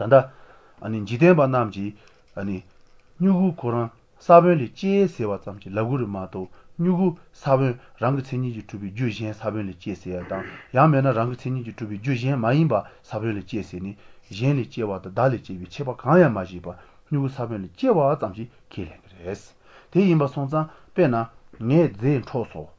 ད་ལྟ། འཇིག་རྟེན་པ་རྣམས་ཀྱིས། མྱུ་གུ་ཁོ་རང་ས་བོན་ལས་སྐྱེས་ཟེར་བ་ཙམ་གྱིས་ལབ་གི་རེད་མ་གཏོགས་མྱུ་གུ་ས་བོན་རང་གི་མཚན་ཉིད་ཀྱིས་གྲུབ་པའི་རྒྱུ་གཞན་ས་བོན་ལས་སྐྱེས་ཟེར་ཡ་དང་ཡང་མེད་ན་རང་གི་མཚན་ཉིད་ཀྱིས་གྲུབ་པའི་རྒྱུ་གཞན་མ་ཡིན་པ་ས་བོན་ལས་སྐྱེས་ཟེར་ནས་གཞན་ལས་སྐྱེ་བ་དང་བདག་ལས་སྐྱེ་བའི་ཁྱད་པར་གང་ཡང་མ་བྱས་པར་མྱུ་གུ་ས་བོན་ལས་སྐྱེ་བ་ཙམ་ཞིག་ཁས་ལེན་གྱི་རེད། དེ་ཡིན་པ་སོང་ཙང་དཔེར་ན་ངས་རྫས་འཕྲོག་སོང།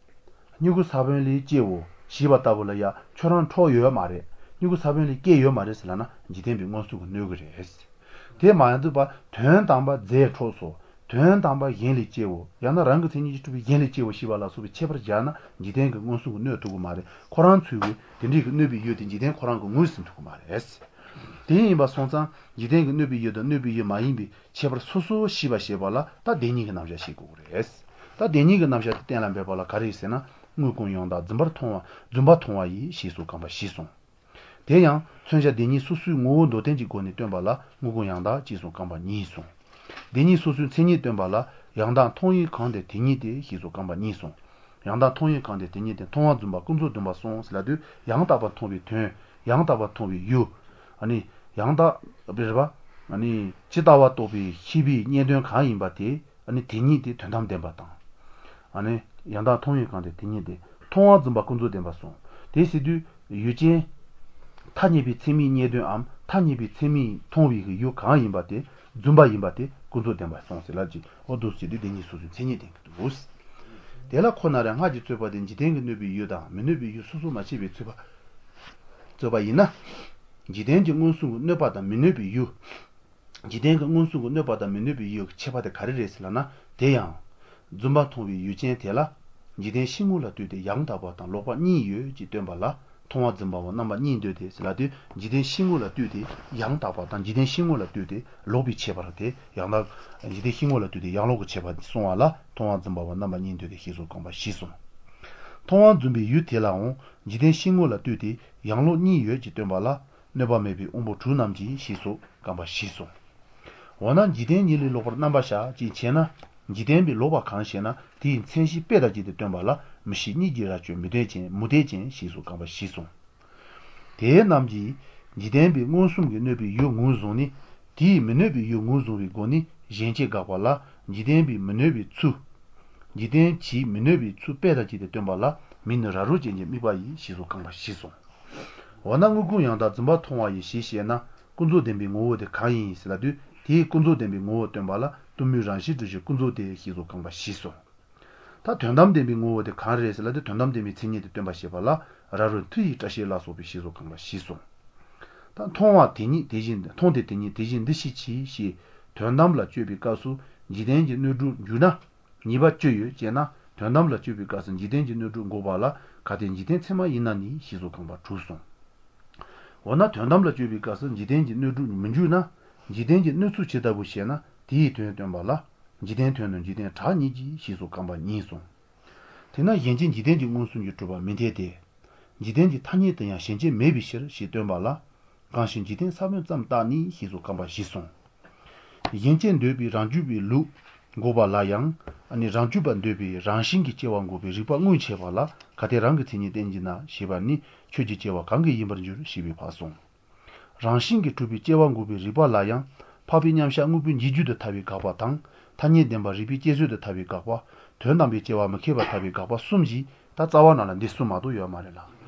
མྱུ་གུ་ས་བོན་ལས་སྐྱེའོ་ཞེས་པ་ལྟ་བུ་ལ་ཡ་ཁྱོད་རང་འཕྲོག་ཡོད་མ་རེད་མྱུ་གུ་ས་བོན་ལས་སྐྱེས་ཡོད་མ་རེད་ཟེར་ལབ་ན་འཇིག་རྟེན་པའི་མངོན་སུམ་གྱིས་གནོད་གི་རེད། དེ་མ་ཡིན་པ་དོན་དམ་པ་རྫས་འཕྲོག་སོ། དོན་དམ་པ་གཞན་ལས་སྐྱེའོ་ཡང་ན་རང་གི་མཚན་ཉིད་ཀྱིས་གྲུབ་པའི་གཞན་ལས་སྐྱེའོ་ཞེས་པ་ལ་སོགས་པའི་ཁྱད་པར་སྦྱར་ན་འཇིག་རྟེན་གྱི་མངོན་སུམ་གྱིས་གནོད་ཐུབ་གི་མ་རེད་ཁོ་རང་ཚོས་གི་དེ་འདྲའི་གི་གནོད་པའི་ཡུལ་དེ་འཇིག་རྟེན་ཁོ་རང་གི་ངོས་ཟིན་ཐུབ་གི་མ་རེད། དེ་ཡིན་པ་སོང་ཙང་འཇིག་རྟེན་གྱི་གནོད་པའི་ཡུལ་དང་གནོད་པའི་ཡུལ་མ་ཡིན་པའི་ཁྱད་པར་སོ་སོ་ཤེས་པ་བྱེད་པ་ལ་ད་བདེན་གཉིས་ཀྱི་རྣམ་གཞག་ཤེས་དགོས་ཀྱི་རེད། ད་བདེན་གཉིས་ཀྱི་རྣམ་གཞག་དེ་གཏན་ལ་འབེབས་པ་ལ་ག་རེ་ཟེར་ན་དངོས་ཀུན་ཡང་དག་བརྫུན་པར་མཐོང་བ་བརྫུན་པ་མཐོང་བ་ཡིས་ཞེས་སོགས་རྐང་པ་བཞི་གསུངས། དེ་ཡང་མཚོན་བྱ་བདེན་གཉིས་སོ་སོའི་ངོ་བོ་མདོར་བསྟན་གྱི་སྒོ་ནས་སྟོན་པ་ལ་དངོས་ཀུན་ཡང་དག་ཅེས་སོགས་རྐང་པ་གཉིས་གསུངས། བདེན་གཉིས་སོ་སོའི་མཚན་ཉིད་སྟོན་པ་ལ་ཡང་དག་མཐོང་ཡུལ་གང་དེ་དེ་ཉིད་དེ་ཞེས་སོགས་རྐང་པ་གཉིས་གསུངས། ཡང་དག་མཐོང་ཡུལ་གང་དེ་དེ་ཉིད་དེ་མཐོང་བ་བརྫུན་པ་ཀུན་རྫོབ་བདེན་པ་གསུངས་ཟེར་ལབ་དུས་ཡང་དག་པར་མཐོང་བའི་དོན། ཡང་དག་པར་མཐོང་བའི་ཡུལ། ཡང་དག་པའི་རེད་པ། ཇི་ལྟ་བ་རྟོགས་པའི་ཤེས་པའི་རྙེད་དོན་གང་ཡིན་པ་དེ། དེ་ཉིད་དེ་དོན་དམ་བདེན་པ་དང། ཡང་དག་མཐོང་ཡུལ་གང་དེ་དེ་ཉིད་དེ། མཐོང་བ་བརྫུན་པ་ཀུན་རྫོབ་བདེན་པ་གསུངས། དེ་ཟེར་དུས་ཡུལ་ཅན། ཐ་སྙད་པའི་ཚད་མའི་རྙེད་དོན་འམ་ཐ་སྙད་པའི་ཚད་མས་མཐོང་བའི་ཡུལ་གང་ཡིན་པ་དེ་བརྫུན་པ་ཡིན་པ་དེ་ཀུན་རྫོབ་བདེན་པ་གསུངས་ཟེར་ལབ་ཀྱི་འོ་འདུག་ཟེར་དུས་བདེན་གཉིས་སོ་སོའི་མཚན་ཉིད་བསྟན་གྱི་འདུག། དེ་ལ་ཁོ་ན་རེ་སྔར་གྱི་རྩོད་པ་དེ་འཇིག་རྟེན་གྱི་གནོད་པའི་ཡུལ་དང་མི་གནོད་པའི་ཡུལ་སོ་སོར་མ་ཕྱེ་བའི་རྩོད་པ། རྩོད་པ་ཡིན་ན། འཇིག་རྟེན་གྱི་མངོན་སུམ་གྱིས་གནོད་པ་དང་མི་གནོད་པའི་ཡུལ། འཇིག་རྟེན་གྱི་མངོན་སུམ་གྱིས་གནོད་པ་དང་མི་གནོད་པའི་ཡུལ་གྱི་ཁྱད་པར་དེ་ག་རེ་རེད་ཟེར་ལབ་ན་དེ་ཡང། བརྫུན་པ་མཐོང་བའི་ཡུལ་ཅན་དེ་ལ། འཇིག་རྟེན་ཤེས་ངོ་ལ་ལྟོས་ཏེ་ཡང་དག་པ་དང་ལོག་པ་གཉིས་ཡོད་ཅེས་སྟོན་པ་ལ་མཐོང་བ་བརྫུན་པའོ་རྣམ་པ་གཉིས་འདོད་དེ་ཟེར་ལབ་དུས་འཇིག་རྟེན་ཤེས་ངོ་ལ་ལྟོས་ཏེ་ཡང་དག་པ་དང་འཇིག་རྟེན་ཤེས་ངོ་ལ་ལྟོས་ཏེ་ལོག་པའི་ཁྱད་པར་དེ་ཡང་དག། འཇིག་རྟེན་ཤེས་ངོ་ལ་ལྟོས་ཏེ་ཡང་ལོག་གི་ཁྱད་པར་གསུང་བ་ལ་མཐོང་བ་བརྫུན་པའོ་རྣམ་པ་གཉིས་འདོད་དེ་ཞེས་སོགས་རྐང་པ་བཞི་གསུངས། མཐོང་བ་བརྫུན་པའི་ཡུལ་དེ་ལའང་འཇིག་རྟེན་ཤེས་ངོ་ལ་ལྟོས་ཏེ་ཡང་ལོག་གཉིས་ཡོད་ཅེས་སྟོན་པ་ལ་གནོད་པ་མེད་པའི་དབང་པོ་དྲུག་རྣམས་ཀྱིས་ཞེས་སོགས་རྐང་པ་བཞི་གསུངས། འོ་ན་འཇིག་རྟེན་ཉིད་ལས་ལོག་པར་རྣམ་པར་བཞག་ཅེས་འཆད་ན། འཇིག་རྟེན་པའི་ལོག་པ་གང་ཞེ་ན་དེའི་མཚན་གཞི་དཔེ་དང་བཅས་ཏེ་སྟོན་པ་ལ་མི་ཤེས་གཉིད་ཀྱིས་རྭ་ཅོ་མུ་སྟེགས་ཅན་མུ་སྟེགས་ཅན་ཞེས་སོགས་རྐང་པ་བཞི་གསུངས། དེ་རྣམས་ཀྱིས་འཇིག་རྟེན་པའི་མངོན་སུམ་གྱིས་གནོད་པའི་ཡུལ་ངོས་བཟུང་ནས། དེས་མི་གནོད་པའི་ཡུལ་ངོས་བཟུང་བའི་སྒོ་ནས་གཞན་སྐྱེ་དགག་པ་ལ་འཇིག་རྟེན་པའི་མི་གནོད་པའི་ཚུལ། འཇིག་རྟེན་གྱིས་མི་གནོད་པའི་ཚུལ་དཔེ་དང་བཅས་ཏེ་སྟོན་པ་ལ་མིག་ནི་ར་རོ་ཅན་གྱི་དམིགས་པ་ཡིས་ཞེས་སོགས་རྐང་པ་བཞི་གསུངས། འོ་ན་དངོས་ཀུན་ཡང་དག་བརྫུན་པ་མཐོང་བ་ཡིས་ཞེས་བཤད་ན་ཀུན་རྫོབ་བདེན་པའི་ངོ་བོ་དེ་གང་ཡིན་ཟེར་ལབ་དུས་དེས་ཀུན་རྫོབ་བདེན་པའི་ངོ་བོ་སྟོན་པ་ལ་གཏུམ་མོའི་རང་བཞིན་གྲུབ་ཕྱིར་ཀུན་རྫོབ་སྟེ་ཞེས་སོགས་རྐང་པ་བཞི་གསུངས། ད་དོན་དམ་བདེན་པའི་ངོ་བོ་དེ་གང་རེད་ཟེར་ལབ་དུས་དོན་དམ་བདེན་པའི་མཚན་ཉིད་དེ་སྟོན་པ་བྱེད་པ་ལ་ར་རོ་མཐུ་ཡིས་སྐྲ་ཤད་ལ་སོགས་པའི་ཞེས་སོགས་རྐང་པ་བཞི་གསུངས། ད་མཐོང་བ་དེ་ཉིད་དེ་བཞིན་མཐོང་སྟེ་དེ་ཉིད་དེ་བཞིན་འདི་ཞེས་མཆི་ཞེས་དོན་དམ་ལ་དཔྱོད་པའི་སྐབས་སུ་འཇིག་རྟེན་གྱི་གནོད་སྒྲུབ་འཇུག་ན། ཉེས་པ་ཅི་ཡོད་ཅེ་ན་དོན་དམ་ལ་དཔྱོད་པའི་སྐབས་སུ་འཇིག་རྟེན་གྱི་གནོད་སྒྲུབ་འགོག་པ་ལ་གལ་ཏེ་འཇིག་རྟེན་ཚད་མ་ཡིན་ན་ནི་ཞེས་སོགས་རྐང་པ་དྲུག་གསུངས། འོ་ན་དོན་དམ་ལ་དཔྱོད་པའི་སྐབས་སུ་འཇིག་རྟེན་གྱི་གནོད་སྒྲུབ་མི་འཇུག་ན། འཇིག་རྟེན་གྱི་གནོད་ཚུལ་ཇི་ལྟ་བུ་ཞེ་ན་དེའི་དོན་སྟོན་པ་ལ། འཇིག་རྟེན་དོན་ནི་འཇིག་རྟེན་གྲགས་ཉིད་ཀྱིས་ཞེས་སོགས་རྐང་པ་གཉིས་གསུངས། དེས་ན་གཞན་སྐྱེ་འཇིག་རྟེན་གྱི་མངོན་སུམ་གྱིས་གྲུབ་པ་མི་འཐད་དེ། འཇིག་རྟེན་གྱི་ཐ་སྙད་དུ་ཡང་གཞན་སྐྱེ་མེད་པའི་ཕྱིར་ཞེས་སྟོན་པ་ལ། གང་ཞིག་འཇིག་རྟེན་ས་བོན་ཙམ་བརྟགས་ནས་ཞེས་སོགས་རྐང་པ་བཞི་གསུངས། གཞན་སྐྱེ་འདོད་པའི་རང་རྒྱུད་པའི་ལུགས་འགོག་པ་ལ་ཡང། རང་རྒྱུད་པ་འདོད་པའི་རང་བཞིན་གྱིས་སྐྱེ་བ་འགོག་པའི་རིགས་པ་དངོས་འཆད་པ་ལ་གལ་ཏེ་རང་གི་མཚན་ཉིད་བསྟན་གྱིས་ན་ཞེས་པ་ནས་ཁྱོད་ཀྱི་སྐྱེ་བ་གང་གིས་ཡིན་པར་འགྱུར་ཞེས་པའི་བར་གསུངས། རང་བཞིན་གྱིས་གྲུབ་པའི་སྐྱེ་བ་འགོག་པའི་རིགས་པ་ལ་ཡང། འཕགས་པའི་མཉམ་གཞག་དངོས་པོའི་འཇིག་རྒྱུ་དུ་ཐལ་བའི་དགག་པ་དང། ཐ་སྙད་བདེན་པ་རིགས་པའི་དཔྱད་བཟོད་དུ་ཐལ་བའི་དགག་པ། དོན་དམ་པའི་སྐྱེ་བ་མི་ཁེགས་པར་ཐལ་བའི་དགག་པ་གསུམ་གྱིས་ད་རྩ་བ་ནང་ལ་འདི་གསུམ་མ་གཏོགས་ཡོད་མ་རེད་ལ།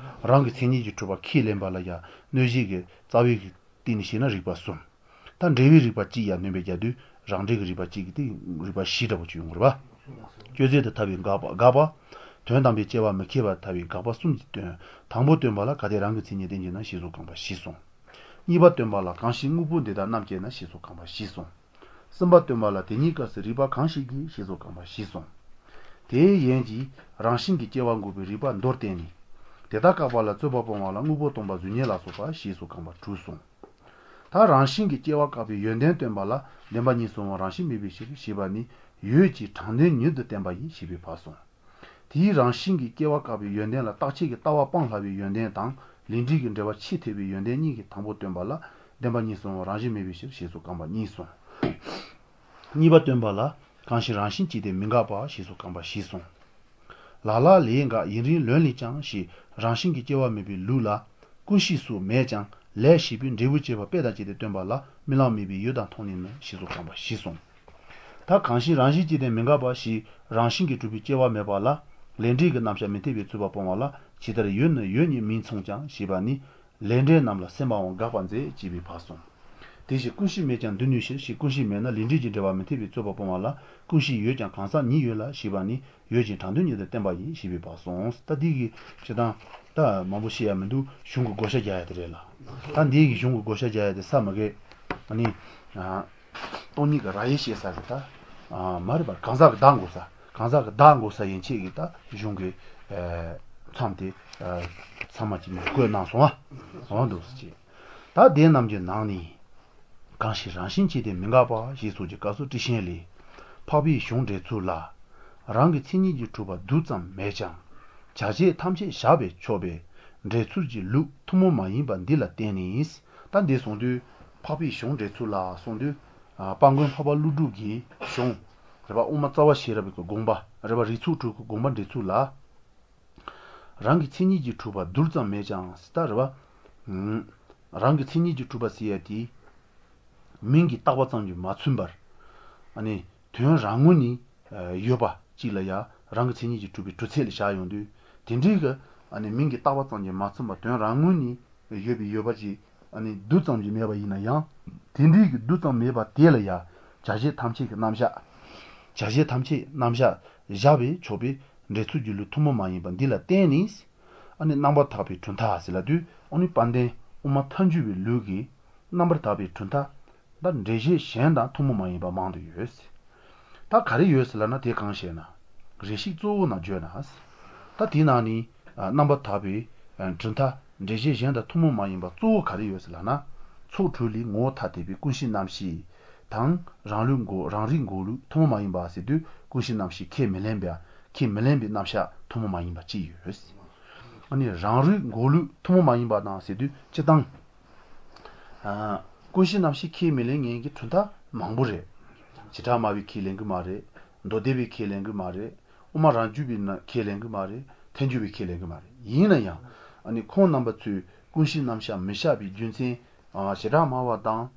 རང་གི་མཚན་ཉིད་ཀྱིས་གྲུབ་པ་ཁས་ལེན་པ་ལ་ཡང་གནོད་བྱེད་ཀྱི་རྩ་བའི་སྟེང་ནས་བཤད་ན་རིགས་པ་གསུམ། ད་འབྲེལ་བའི་རིགས་པ་གཅིག་ཡང་སྣོན་པ་རྒྱག་དུས་རང་འགྲེལ་གྱི་རིགས་པ་གཅིག་གིས་ཏེ་རིགས་པ་བཞི་འདྲ་པོ་ཅིག་ཡོང་གི་རེད་པ། དཔྱོད་བཟོད་དུ་ཐལ་བའི་དགག་པ། དོན་དམ་པའི་སྐྱེ་བ་མི་ཁེགས་པར་ཐལ་བའི་དགག་པ་གསུམ་གྱིས་སྟོན། དང་པོ་སྟོན་པ་ལ་གལ་ཏེ་རང་གི་མཚན་ཉིད་བསྟན་གྱིས་ན་ཞེས་སོགས་རྐང་པ་བཞི་གསུངས། གཉིས་པ་སྟོན་པ་ལ་གང་ཞིག་དངོས་པོ་འདི་དག་རྣམ་དཔྱད་ན་ཞེས་སོགས་རྐང་པ་བཞི་གསུངས། གསུམ་པ་སྟོན་པ་ལ་དེ་ཉིད་སྐབས་སུ་རིགས་པ་གང་ཞིག་གིས་ཞེས་སོགས་རྐང་པ་བཞི་གསུངས། དེའི་ཡན་གྱིས་རང་བཞིན་གྱིས་སྐྱེ་བ་འགོག་པའི་རིགས་པ་མདོར་བསྟན་ནས། དེ་དག་བཀག་པ་ལ་རྩོད་པ་སྤོང་བ་ལ་དངོས་པོ་སྟོན་པ་གཟུགས་བརྙན་ལ་སོགས་པ་ཞེས་སོགས་རྐང་པ་དྲུག་གསུངས། ད་རང་བཞིན་གྱིས་སྐྱེ་བ་བཀག་པའི་ཡོན་ཏན་སྟོན་པ་ལ་བདེན་པ་གཉིས་སུ་འང་རང་བཞིན་མེད་པའི་ཕྱིར་ཞེས་པ་ནས་ཡོད་ཅེས་དྲང་དོན་ཉིད་དུ་བསྟན་པ་ཡིན་ཞེས་པའི་བར་གསུངས། དེའི་རང་བཞིན་གྱིས་སྐྱེ་བ་བཀག་པའི་ཡོན་ཏན་ལ་རྟག་ཆད་ཀྱི་ལྟ་བ་སྤང་སླ་བའི་ཡོན་ཏན་དང་ལས་འབྲས་ཀྱི་འབྲེལ་བ་ཆེས་འཐད་པའི་ཡོན་ཏན་གཉིས་ཀྱི་དང་པོ་སྟོན་པ་ལ་བདེན་པ་གཉིས་སུའང་རང་བཞིན་མེད་པའི་ཕྱིར་ཞེས་སོགས་རྐང་པ་གཉིས་གསུངས། གཉིས་པ་སྟོན་པ་ལ་གང་ཞིག་རང་བཞིན་གཅིག་སྟེ་མི་འགག་པ་ཞེས་སོགས་རྐང་པ་བཞི་གསུངས། ལ་ལ་ལས་འགག་ཡུན་རིང་ལོན་ལས་ཀྱང་ཞེས་རང་བཞིན་གྱིས་སྐྱེ་བ་མེད་པའི་ལུགས་ལ། ཀུན་ཤེས་སུ་མེད་ཀྱང་ལས་ཞེས་པས་འབྲས་བུ་བཅས་པ་དཔེ་དང་བཅས་ཏེ་སྟོན་པ་ལ་རྨི་ལམ་རྨིས་པའི་ཡུལ་དག་མཐོང་ནས་ནི་ཞེས་སོགས་དྲངས་པ་བཞིན་གསུངས། ད་གང་ཞིག་རང་བཞིན་གྱིས་བདེན་མི་འགག་པ་ཞེས་རང་བཞིན་གྱིས་གྲུབ་པའི་སྐྱེ་བ་མེད་པ་ལ་ལས་འབྲས་ཀྱི་རྣམ་གཞག་མི་འཐད་པའི་རྩོད་པ་སྤོང་བ་ལ་ཇི་ལྟར་ཡོད་ནི་ཡོད་ཉིད་མིན་མཚུངས་ཀྱང་ཞེས་པ་ནས་ལས་འབྲས་རྣམས་ལ་སེམས་པའང་དགག་པར་མཛད་ཅེས་པའི་བར་གསུངས། དེ་བཞིན་ཀུན་གཞི་མེད་ཀྱང་འདོད་ནུས་ཕྱིར་ཞེས་ཀུན་གཞི་མེད་ན་ལས་འབྲས་ཀྱི་འབྲེལ་བ་མི་འཐད་པའི་རྩོད་པ་སྤོང་བ་ལ་ཀུན་གཞི་ཡོད་ཀྱང་གང་ཟག་ཉིད་ཡོད་ལ་ཞེས་པ་ནས་ཡོད་ཅིང་དྲང་དོན་ཉིད་དུ་བསྟན་པ་ཡིན་ཞེས་པའི་བར་གསུངས། ད་འདི་གི་བྱེད་སྟངས་ད་མང་པོ་བཤད་ཡ་མི་འདུག་གཞུང་གི་བགོ་བཤའ་རྒྱག་ཡ་དེ་རེད་ལ། ད་འདི་གི་གཞུང་གི་བགོ་བཤའ་རྒྱག་ཡ་དེ་ས་མ་གི། ནི། སྟོང་ཉིད་ཀྱི་ར་ཡེ་ཤེས་ས་རེད་ད། མ་རེད་པར་གང་ཟག་གི་བདག་འགོག་ས། གང་ཟག་གི་བདག་འགོག་ས་ཡན་ཆད་ཀྱི་ད་གཞུང་གི། མཚམས་དེ། ཚང་མ་ཅིག་བཀོད་གནང་སོང་ཨ། འོ་འདུག་སེ་བྱས། ད་དེ་རྣམས་ཀྱི་ནང་ནས། གང་ཞིག་རང་བཞིན་གྱིས་བདེན་མི་འགག་པ་ཞེས་སོགས་ཀྱི་སྐབས་སུ་ཊཱིཀ་ཆེན་ལས། འཕགས་པའི་གཞུང་འགྲེལ་ཚུལ་ལ། རང་གི་མཚན་ཉིད་ཀྱིས་གྲུབ་པ་རྡུལ་ཙམ་མེད་ཀྱང། བྱ་བྱེད་ཐམས་ཅད་བཞག་པས་ཆོག་པའི། འགྲེལ་ཚུལ་གྱི་ལུགས་ཐུན་མོང་མ་ཡིན་པ་འདི་ལ་བརྟེན་ནས། ད་འདི་གསུང་དུས། འཕགས་པའི་གཞུང་འགྲེལ་ཚུལ་ལ་གསུང་དུས། དཔལ་མགོན་འཕགས་པ་ཀླུ་སྒྲུབ་ཀྱི་གཞུང། རེད་པ་དབུ་མ་རྩ་བ་ཤེས་རབ་ཀྱི་དགོངས་པ། རེད་པ་རིགས་ཚོགས་དྲུག་གི་དགོངས་པ་འགྲེལ་ཚུལ་ལ། རང་གི་མཚན་ཉིད་ཀྱིས་གྲུབ་པ་རྡུལ་ཙམ་མེད་ཀྱང་ཟེར་ད་རེད་པ། རང་གི་མཚན་ཉིད་ཀྱིས་གྲུབ་པ་ཟེར་ཡ་དེ། མིང་གིས་བཏགས་པ་ཙམ་གྱིས་མ་མཚོན་པར། དོན་རང་ངོས་ནས་ཡོད་པ་གཅིག་ལ་ཡང་རང་གི་མཚན་ཉིད་ཀྱིས་གྲུབ་པའི་གྲུབ་ཚད་ལ་བཞག་ཡོང་དུས། དེ་འདྲའི་གི། མིང་གིས་བཏགས་པ་ཙམ་གྱིས་མ་མཚོན་པར་དོན་རང་ངོས་ནས་ཡོད་པའི་ཡོད་པ་ཅིག། རྡུལ་ཙམ་གྱིས་མེད་པ་ཡིན་ན་ཡང། དེ་འདྲའི་གི་རྡུལ་ཙམ་མེད་པ་དེ་ལ་ཡང་བྱ་བྱེད་ཐམས་ཅད་ཀྱི་རྣམ་གཞག། བྱ་བྱེད་ཐམས་ཅད་རྣམ་གཞག་བཞག་པས་ཆོག་པའི་འགྲེལ་ཚུལ་གྱི་ལུགས་ཐུན་མོང་མ་ཡིན་པ་འདི་ལ་བརྟེན་ནས། ཨ་ནི་རྣམ་པར་དག་པའི་གྲུབ་མཐའ་ཟེར་ལབ་དུས་ཨ་ནི་དཔལ་ལྡན་དབུ་མ་ཐལ་འགྱུར་བའི་ལུགས་ཀྱི་རྣམ་པར་དག་པའི་གྲུབ་མཐའ་ད་འགྲེལ་བཤད་གཞན་དང་ཐུན་མོང་མ་ཡིན་པ་མང་དུ་ཡོད། ད་ག་རེ་ཡོད་ཟེར་ལབ་ན་དེ་གང་ཞེ་ན། རེ་ཞིག་གཙོ་བོ་རྣམས་བརྗོད་ན། ད་དེའི་ནང་ནས་རྣམ་པར་དག་པའི་གྲུབ་མཐའ་འགྲེལ་བཤད་གཞན་དང་ཐུན་མོང་མ་ཡིན་པ་གཙོ་བོ་ག་རེ་ཡོད་ཟེར་ལབ་ན། ཚོགས་དྲུག་ལས་ངོ་བོ་ཐ་དད་པའི་ཀུན་གཞི་རྣམ་ཤེས་དང། རང་ལུགས་འགོག་རང་རིག་འགོག་ལུགས་ཐུན་མོང་མ་ཡིན་པ་ཟེར་དུས་ཀུན་གཞི་རྣམ་ཤེས་ཁས་མི་ལེན་པའི་ཁས་མི་ལེན་པའི་རྣམ་གཞག་ཐུན་མོང་མ་ཡིན་པ་གཅིག་ཡོད། ཨ་ནི་རང་རིག་འགོག་ལུགས་ཐུན་མོང་མ་ཡིན་པ་དང་ཟེར་དུས་སྤྱི་བཏང། ཀུན་གཞི་རྣམ་ཤེས་ཁས་མི་ལེན་མཁན་གྱི་གྲུབ་མཐའ་མང་པོ་རེད། བྱེ་བྲག་སྨྲ་བས་ཁས་ལེན་གྱི་མ་རེད། མདོ་སྡེ་པས་ཁས་ལེན་གྱི་མ་རེད། དབུ་མ་རང་རྒྱུད་པས་ཁས་ལེན་གྱི་མ་རེད། ཐལ་འགྱུར་བས་ཁས་ལེན་གྱི་མ་རེད། ཡིན་ན་ཡང། ཁོང་རྣམ་པ་ཚོས་ཀུན་གཞི་རྣམ་གཞག་མི་བཞག་པའི་རྒྱུ་མཚན། བྱེ་བྲག་སྨྲ་བ་དང།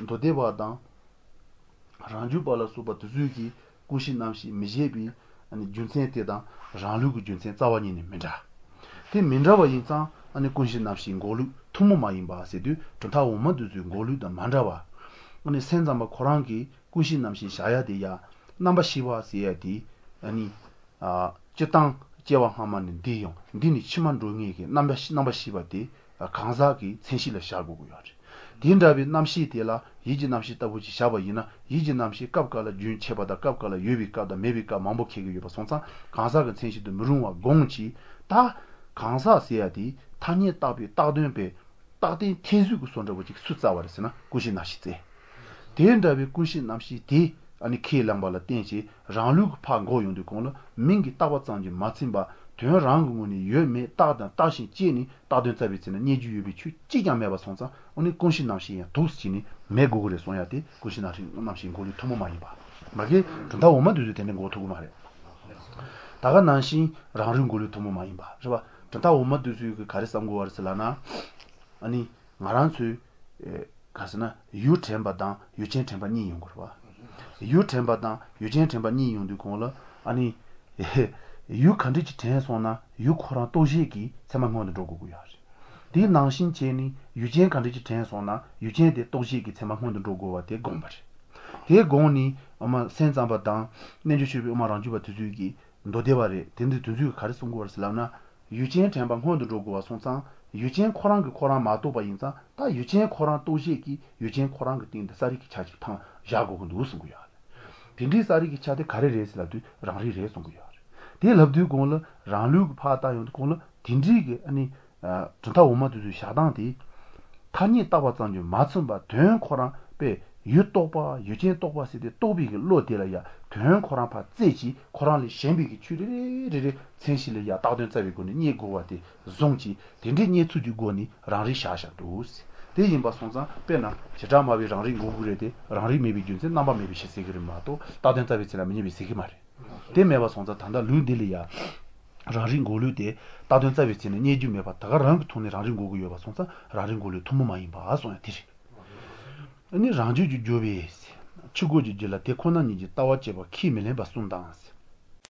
མདོ་སྡེ་པ་དང། རང་རྒྱུད་པ་ལ་སོགས་པ་དེ་ཚོས་ཀྱིས་ཀུན་གཞི་རྣམ་ཤེས་མི་བཞེད་པའི་རྒྱུ་མཚན་དེ་དང་རང་ལུགས་ཀྱི་རྒྱུ་མཚན་རྩ་བ་ཉིད་ནས་མི་འདྲ། དེ་མི་འདྲ་བ་ཡིན་ཙང་ཀུན་གཞི་རྣམ་ཤེས་འགོག་ལུགས་ཐུན་མོང་མ་ཡིན་པ་ཟེར་དུས་གྲུབ་མཐའ་འོག་མ་དེ་ཚོའི་འགོག་ལུགས་དང་མ་འདྲ་བ། སེམས་ཙམ་པ་ཁོ་རང་གིས་ཀུན་གཞི་རྣམ་ཤེས་བཞག་ཡ་དེ་ཡ། རྣམ་པར་ཤེས་པ་ཟེར་ཡ་དེ། སྤྱིར་བཏང་སྐྱེ་བ་སྔ་མ་ནས་འདི་ཡོང་འདི་ནས་ཕྱི་མ་འགྲོ་ངེས་ཀྱི་རྣམ་པར་ཤེས་པ་དེ་གང་ཟག་གི་མཚན་གཞི་ལ་བཞག་དགོས་ཀྱི་ཡོད་རེད། དེ་འདྲ་བའི་རྣམ་ཤེས་དེ་ལ་ཡིད་ཀྱི་རྣམ་ཤེས་ལྟ་བུ་ཅིག་བཞག་པ་ཡིན་ན་ཡིད་ཀྱི་རྣམ་ཤེས་སྐབས་འགའ་ལ་རྒྱུན་ཆད་པ་དང་སྐབས་འགའ་ལ་ཡོད་པའི་སྐབས་དང་མེད་པའི་སྐབས་མང་པོ་འཁེལ་གྱི་ཡོད་པ་སོང་ཙང་གང་ཟག་གི་མཚན་གཞི་དུ་མི་རུང་བ་དགོངས་ཀྱིས་ད། གང་ཟག་ཟེར་ཡ་དེ་ཐ་སྙད་བཏགས་པའི་བཏགས་དོན་པས་བཏགས་དོན་ཐེར་ཟུག་གི་བཟོ་འདྲ་བོ་ཅིག་སུས་བཙལ་བ་རེད་ཟེར་ན་ཀུན་གཞི་རྣམ་ཤེས་བཙལ། དེ་འདྲ་བའི་ཀུན་གཞི་རྣམ་ཤེས་དེ་ནི་ཁས་བླངས་པ་ལ་བརྟེན་བྱས་རང་ལུགས་ཀྱི་ཕར་འགོག་ཡོང་དུས་གོང་ལ་མིང་གིས་བཏགས་པ་ཙམ་གྱིས་མ་ཚིམ་པར་དོན་རང་གི་ངོས་ནས་ཡོད་མེད་བརྟགས་དང་བརྟགས་ཤིང་དཔྱད་ནས་བཏགས་དོན་བཙལ་བའི་ཚེ་ན་རྙེད་རྒྱུ་ཡོད་པའི་ཆོས་གཅིག་ཀྱང་མེད་པ་སོང་ཙང་འོ་ནི་ཀུན་གཞི་རྣམ་ཤེས་ཡང་དུག་བྱས་ནས་མེད་དགོས་ཀྱི་རེད་གསུང་ཡ་དེ་ཀུན་གཞི་རྣམ་ཤེས་འགོག་ལུགས་ཐུན་མོང་མ་ཡིན་པ། མ་གི་གྲུབ་མཐའ་འོག་མ་དེ་ཚོས་དེ་འདྲ་འགོག་ཐུབ་ཀྱི་མ་རེད། ད་ག་ནང་བཞིན་རང་རིག་འགོག་ལུགས་ཐུན་མོང་མ་ཡིན་པ་རེད་པ། གྲུབ་མཐའ་འོག་མ་དེ་ཚོས་ག་རེ་བསམ་དགོས་པ་རེད་ཟེར་ལབ་ན། ཨ་ནི་ང་རང་ཚོས། ག་ཟེར་ན་ཡུལ་དྲན་པ་དང་ཡུལ་ཅན་དྲན་པ་གཉིས་ཡོང་དགོས་རེད་པ། ཡུལ་དྲན་པ་དང་ཡུལ་ཅན་དྲན་པ་གཉིས་ཡོང་དུས་གོང་ལ་ཨ་ནི། ཡུལ་ག་འདྲ་ཅིག་དྲན་སོང་ན་ཡུལ་ཁོ་རང་རྟོགས་བྱེད་ཀྱི་ཚད་མ་སྔོན་དུ་འགྲོ་དགོས་ཀྱི་ཡོད་རེད། དེ་ནང་བཞིན་བྱས་ནས་ཡུལ་ཅན་ག་འདྲ་ཅིག་དྲན་སོང་ན་ཡུལ་ཅན་དེ་རྟོགས་བྱེད་ཀྱི་ཚད་མ་སྔོན་དུ་འགྲོ་དགོས་པ་དེ་དགོངས་པ་རེད། དེ་དགོངས་ནས་དབུ་མ་སེམས་ཙམ་པ་དང་རྣལ་འབྱོར་སྤྱོད་པའི་དབུ་མ་རང་རྒྱུད་པ་དེ་ཚོས་ཀྱིས་མདོ་སྡེ་པ་རེད་དེ་འདི་དེ་ཚོས་ཀྱིས་ག་རེ་གསུང་དགོས་པ་རེད་ཟེར་ལབ་ན། ཡུལ་ཅན་དྲན་པ་སྔོན་དུ་འགྲོ་དགོས་པ་སོང་ཙང་ཡུལ་ཅན་ཁོ་རང་གིས་ཁོ་རང་མ་རྟོགས་པ་ཡིན་ཙང་ད་ཡུལ་ཅན་ཁོ་རང་རྟོགས་བྱེད་ཀྱི་ཡུལ་ཅན་ཁོ་རང་གི་སྟེང་དུ་གསལ་རིག་གི་ཆ་གཅིག་ཐང་བཞག་དགོས་ཀྱི་འདུག་གསུང་གི་ཡོད་རེད། དེ་འདྲའི་གསལ་རིག་གི་ཆ་དེ་ག་རེ་རེད་ཟེར་ལབ་དུས་རང་རིག་རེད་གསུང་གི་ཡོད་རེད། དེ་ལབ་དུས་གོང་ལ་རང་ལུགས་ཀྱི་ཕར་བལྟ་ཡོང་དུས་གོང་ལ་དེ་འདྲའི་གི་ཨ་ནི། གྲུབ་མཐའ་འོག་མ་དེ་ཚོའི་བཞག་སྟངས་དེ། ཐ་སྙད་བཏགས་པ་ཙམ་གྱིས་མ་ཚིམ་པར་དོན་ཁོ་རང་པས་ཡུལ་རྟོགས་པ་ཡུལ་ཅན་རྟོགས་པ་ཟེར་ཏེ་རྟོགས་པའི་གི་བློ་དེ་ལ་ཡང་དོན་ཁོ་རང་ཕར་བཙལ་བྱས་ཁོ་རང་ལས་གཞན་པའི་གི་ཆོས་རེ་རེ་རེ་མཚན་གཞི་ལ་ཡང་བཏགས་དོན་བཙལ་བའི་སྒོ་ནས་རྙེད་དགོས་པ་དེ་བཟུང་བྱས་དེ་འདྲའི་རྙེད་ཚུལ་གྱི་སྒོ་ནས་རང་རིག་བཞག་བཞག་འདུག་དེ་ཡིན་པ་སོང་ཙང་དཔེར་ན་བྱེ་བྲག་སྨྲ་བས་རང་རིག་འགོག་གི་རེད་དེ་རང་རིག་མེད་པའི་རྒྱུ་མཚན་རྣམ་པ་མེད་པའི་ཕྱིར་ཟེར་གི་རེད་མ་གཏོགས་བཏགས་དོན་བཙལ་བའི་ཚེ་ན་མི་རྙེད་པའི་ཟེར་གི་མ་རེད། དེ་མེད་པ་སོང་ཙང་ད་ལྟ་ལུགས་འདི་ལ་ཡང། རང་རིག་འགོག་ལུགས་དེ་བཏགས་དོན་བཙལ་བའི་ཚེ་ན་རྙེད་རྒྱུ་མེད་པ་ད་ག་རང་གི་ཐོག་ནས་རང་རིག་འགོག་གི་ཡོད་པ་སོང་ཙང་རང་རིག་འགོག་ལུགས་ཐུན་མོང་མ་ཡིན་པ་གསུངས་ཡ་དེ་རེད། ནི་རང་རྒྱུད་ཀྱི་སྦྱོར་བས། ཕྱི་རྒོལ་གྱི་རྒྱུད་ལ་དེ་ཁོ་ན་ཉིད་ཀྱི་ལྟ་བ་སྐྱེ་བ་ཁས་མི་ལེན་པ་གསུམ་དང།